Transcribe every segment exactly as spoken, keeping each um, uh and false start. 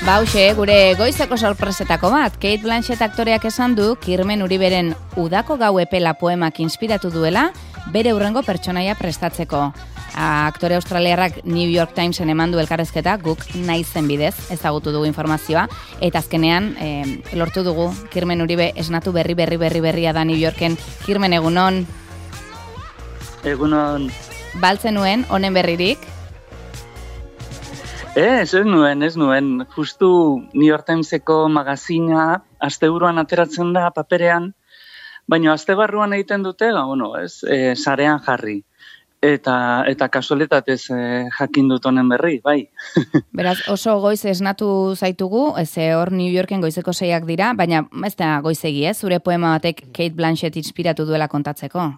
Bauxe, gure goizeko sorpresetako bat, Kate Blanchett aktoreak esan du Kirmen Uriberen Udako gau epela poemak inspiratu duela bere hurrengo pertsonaia prestatzeko. Aktore australiarrak New York Timesen eman du elkarrezketa, guk naizen bidez ezagutu dugu informazioa, eta azkenean e, lortu dugu Kirmen Uribe esnatu berri berri berri berria da New Yorken. Kirmen, egunon? Egunon. Baltzen nuen, honen berririk? Ez, ez nuen, ez nuen. Justu New York Timeseko magazina asteburuan ateratzen da paperean, baina aste barruan egiten dute, ba, bueno, ez, e, sarean jarri. Eta, eta kasualitatez e, jakin dut honen berri, bai. Beraz, oso goiz esnatu zaitugu, ez hor New Yorken goizeko seiak dira, baina ez da goizegi, ez? Zure poema batek Kate Blanchett inspiratu duela kontatzeko.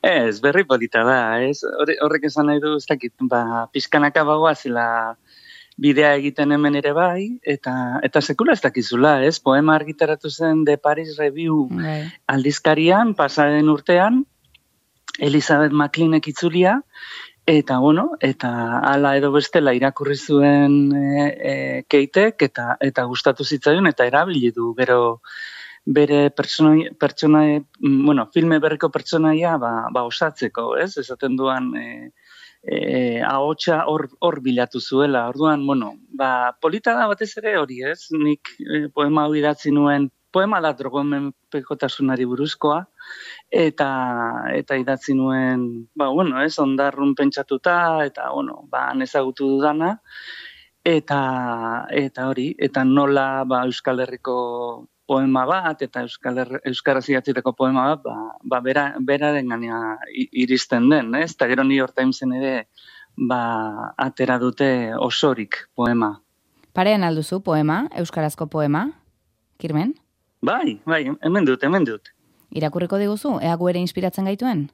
Ez, berri polita da, ez? Horrek esan nahi du, ez dakit, ba, pizkanaka bagoazela bidea egiten hemen ere bai, eta eta sekula ez dakizula, ez? Poema argitaratu zen The Paris Review Bai. aldizkarian, pasaren urtean, Elizabeth McLeanek itzulia, eta, bueno, eta hala edo bestela irakurri zuen e, e, Katek, eta, eta gustatu zitzaion, eta erabili du, gero bere pertsona, pertsona bueno, filme berriko pertsonaia ba, ba osatzeko, ez? Esaten duan e, e, ahotsa hor hor bilatu zuela. Orduan, bueno, ba polita da batez ere hori, ez? Nik e, poema hau idatzi nuen, poema da drogomenpekotasunari buruzkoa, eta eta idatzi nuen, ba bueno, ez, ondarrun pentsatuta, eta bueno, ba ezagutu dudana, eta eta hori, eta nola ba Euskal Herriko poema bat, eta Euskal Her- Euskaraz idatzitako poema bat, ba, ba bera, beraren gaina iristen den, ez? Eta gero New York Timesen ere, ba, atera dute osorik poema. Parean alduzu poema, euskarazko poema, Kirmen? Bai, bai, hemen dut, hemen dut. Irakurriko diguzu, ea gu ere inspiratzen gaituen?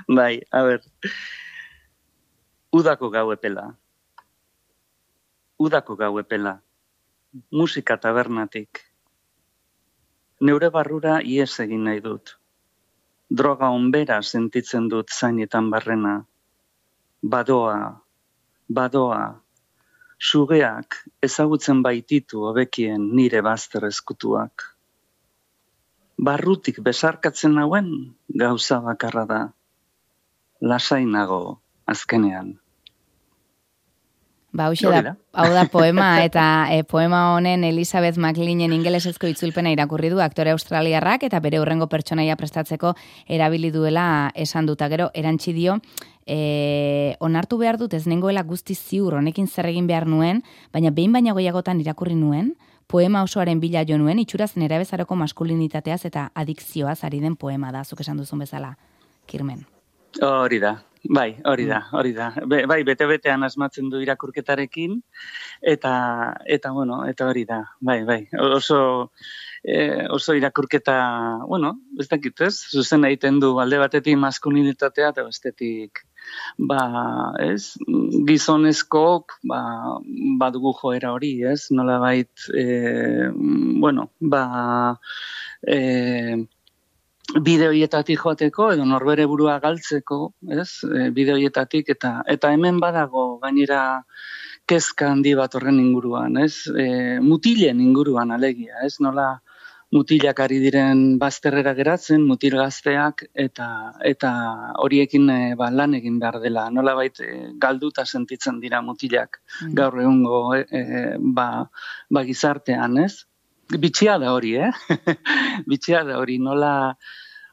Bai, a ber. Udako gau epela. Udako gau epela. Musika tabernatik. Neure barrura ies egin nahi dut. Droga onbera sentitzen dut zainetan barrena. Badoa, badoa, sugeak ezagutzen baititu hobekien nire bazter eskutuak. Barrutik besarkatzen hauen gauza bakarra da. Lasainago azkenean. Ba, hauxe da, hau da poema, eta e, poema honen Elizabeth McLeanen ingelesezko itzulpena irakurri du aktore australiarrak, eta bere hurrengo pertsonaia prestatzeko erabili duela esan duta. Gero, erantzi dio, e, onartu behar dut ez nengoela guztiz ziur honekin zer egin behar nuen, baina behin baina gehiagotan irakurri nuen, poema osoaren bila jo nuen, itxuraz nerabezaroko maskulinitateaz eta adikzioaz ari den poema da, zuk esan duzun bezala, Kirmen. Hori da, bai, hori da, hori da. Be, bai, bete-betean asmatzen du irakurketarekin, eta, eta bueno, eta hori da, bai, bai. Oso, eh, oso irakurketa, bueno, ez dakit ez, zuzen egiten du alde batetik maskulinitatea, eta bestetik, ba, ez, gizonezkook, ba, badugu joera hori, ez, nolabait, eh, bueno, ba, eh, bide horietatik joateko edo norbere burua galtzeko, ez? E, bide horietatik eta eta hemen badago gainera kezka handi bat horren inguruan, ez? E, mutilen inguruan alegia, ez? Nola mutilak ari diren bazterrera geratzen, mutil gazteak eta eta horiekin e, ba, lan egin behar dela. Nolabait e, galduta sentitzen dira mutilak mm. gaur egungo e, e, ba, ba gizartean, ez? Bitxia da hori, eh? Bitxia da hori, nola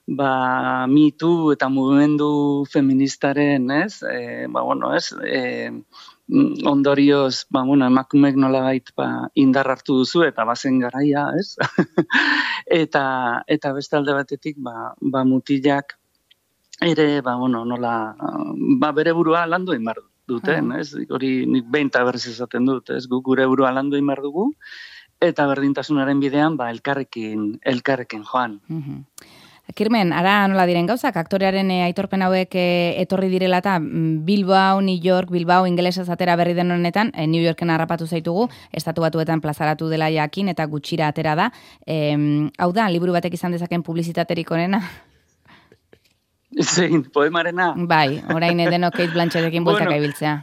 ba, Me Too eta mugimendu feministaren, ez? E, ba, bueno, ez? E, ondorioz, ba, bueno, emakumeek nolabait ba, indar hartu duzu eta bazen garaia, ez? eta, eta beste alde batetik, ba, ba mutilak ere, ba, bueno, nola, ba, bere burua landu egin behar duten, ez? Hori nik behin eta berriz esaten dut, ez? Guk gure burua landu egin behar dugu, eta berdintasunaren bidean, ba, elkarrekin, elkarrekin joan. Mm-hmm. Kirmen, ara nola diren gauzak, aktorearen e, aitorpen hauek e, etorri direla eta Bilbao, New York, Bilbao, ingelesez atera berri den honetan, e, New Yorken harrapatu zaitugu, estatu batuetan plazaratu dela jakin eta gutxira atera da. E, hau da, liburu batek izan dezaken publizitaterik onena? Zein, poemarena? Bai, orain edenok Kate Blanchettekin bueltaka Bueno. ibiltzea.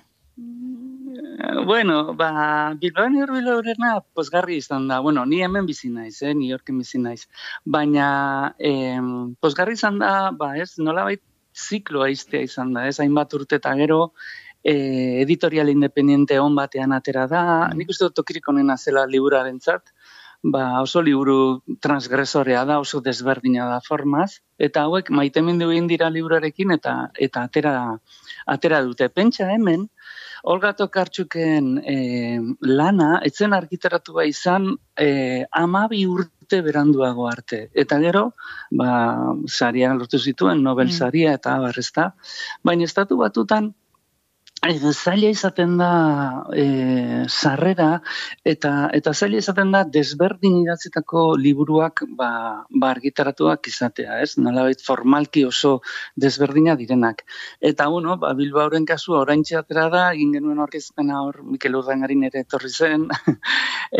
Bueno, ba, Bilbao Urbilorena pozgarri izan da. Bueno, ni hemen bizi naiz, eh, New Yorken bizi naiz. Baina, em, pozgarri izan da, ba, ez, nolabait zikloa iztea izan da, ez, hainbat urte eta gero, eh, editorial independiente on batean atera da, nik uste dut tokirik onena zela liburarentzat, ba, oso liburu transgresorea da, oso desberdina da formaz, eta hauek maitemindu egin dira liburarekin eta eta atera atera dute. Pentsa hemen, Olga Tokartxuken e, lana, etzen argitaratua izan e, amabi urte beranduago arte. Eta gero, ba, saria lortu zituen, Nobel saria eta abar, ezta. Baina estatu batutan, e, zaila izaten da e, sarrera, eta eta zaila izaten da desberdin idatzitako liburuak ba, ba argitaratuak izatea, ez? Nolabait formalki oso desberdina direnak. Eta, bueno, ba, Bilbaoren kasua oraintxe atera da, egin genuen aurkezpena hor Mikel Urdangarin ere etorri zen,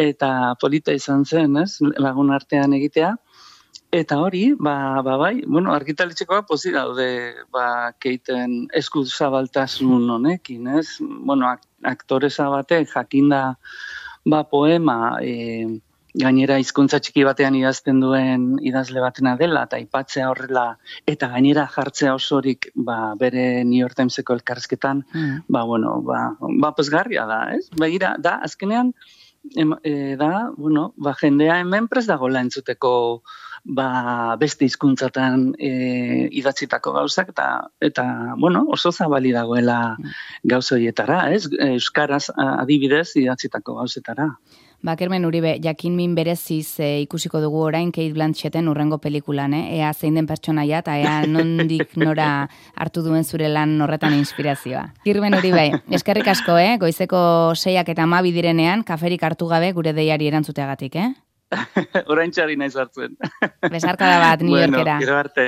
eta polita izan zen, ez? Lagun artean egitea. Eta hori, ba, ba bai, bueno, argitaletxekoa pozik daude, ba, Keiten eskuzabaltasun honekin, ez? Bueno, ak aktoresa batek jakinda, ba, poema, e, gainera hizkuntza txiki batean idazten duen idazle batena dela, eta aipatzea horrela, eta gainera jartzea osorik, ba, bere New York Timeseko elkarrizketan, mm. ba, bueno, ba, ba, pozgarria da, ez? Begira, da, azkenean, em, e, da, bueno, ba, jendea hemen prest dagoela entzuteko, ba, beste hizkuntzatan e, idatzitako gauzak, eta, eta bueno, oso zabali dagoela gauza horietara, ez? Euskaraz adibidez idatzitako gauzetara. Ba, Kermen Uribe, jakin min bereziz e, ikusiko dugu orain Kate Blanchetten urrengo pelikulan, eh? Ea zein den pertsonaia eta ea nondik nora hartu duen zure lan horretan inspirazioa. Kermen Uribe, eskerrik asko, eh? Goizeko seiak eta hamabi direnean, kaferik hartu gabe gure deiari erantzuteagatik, eh? Orain txari naiz hartzen. Besarkada bat, New Yorkera. Bueno, gero arte.